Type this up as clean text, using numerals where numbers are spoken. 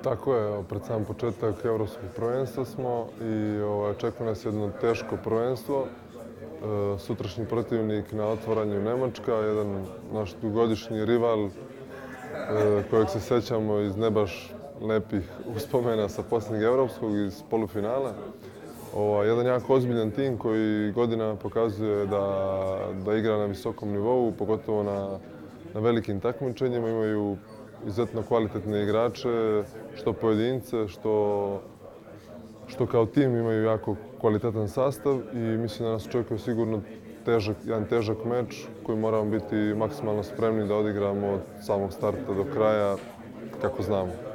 Tako je, pred sam početak evropskog prvenstva smo i očekuje nas jedno teško prvenstvo. Sutrašnji protivnik na otvaranju Nemačka, jedan naš dugogodišnji rival kojeg se sećamo iz ne baš lepih uspomena sa posljednjeg evropskog iz polufinala. Jedan jako ozbiljan tim koji godinama pokazuje da igra na visokom nivou, pogotovo na velikim takmičenjima. Imaju izuzetno kvalitetne igrače, što pojedince, što kao tim imaju jako kvalitetan sastav i mislim da nas očekuje sigurno jedan težak meč koji moramo biti maksimalno spremni da odigramo od samog starta do kraja kako znamo.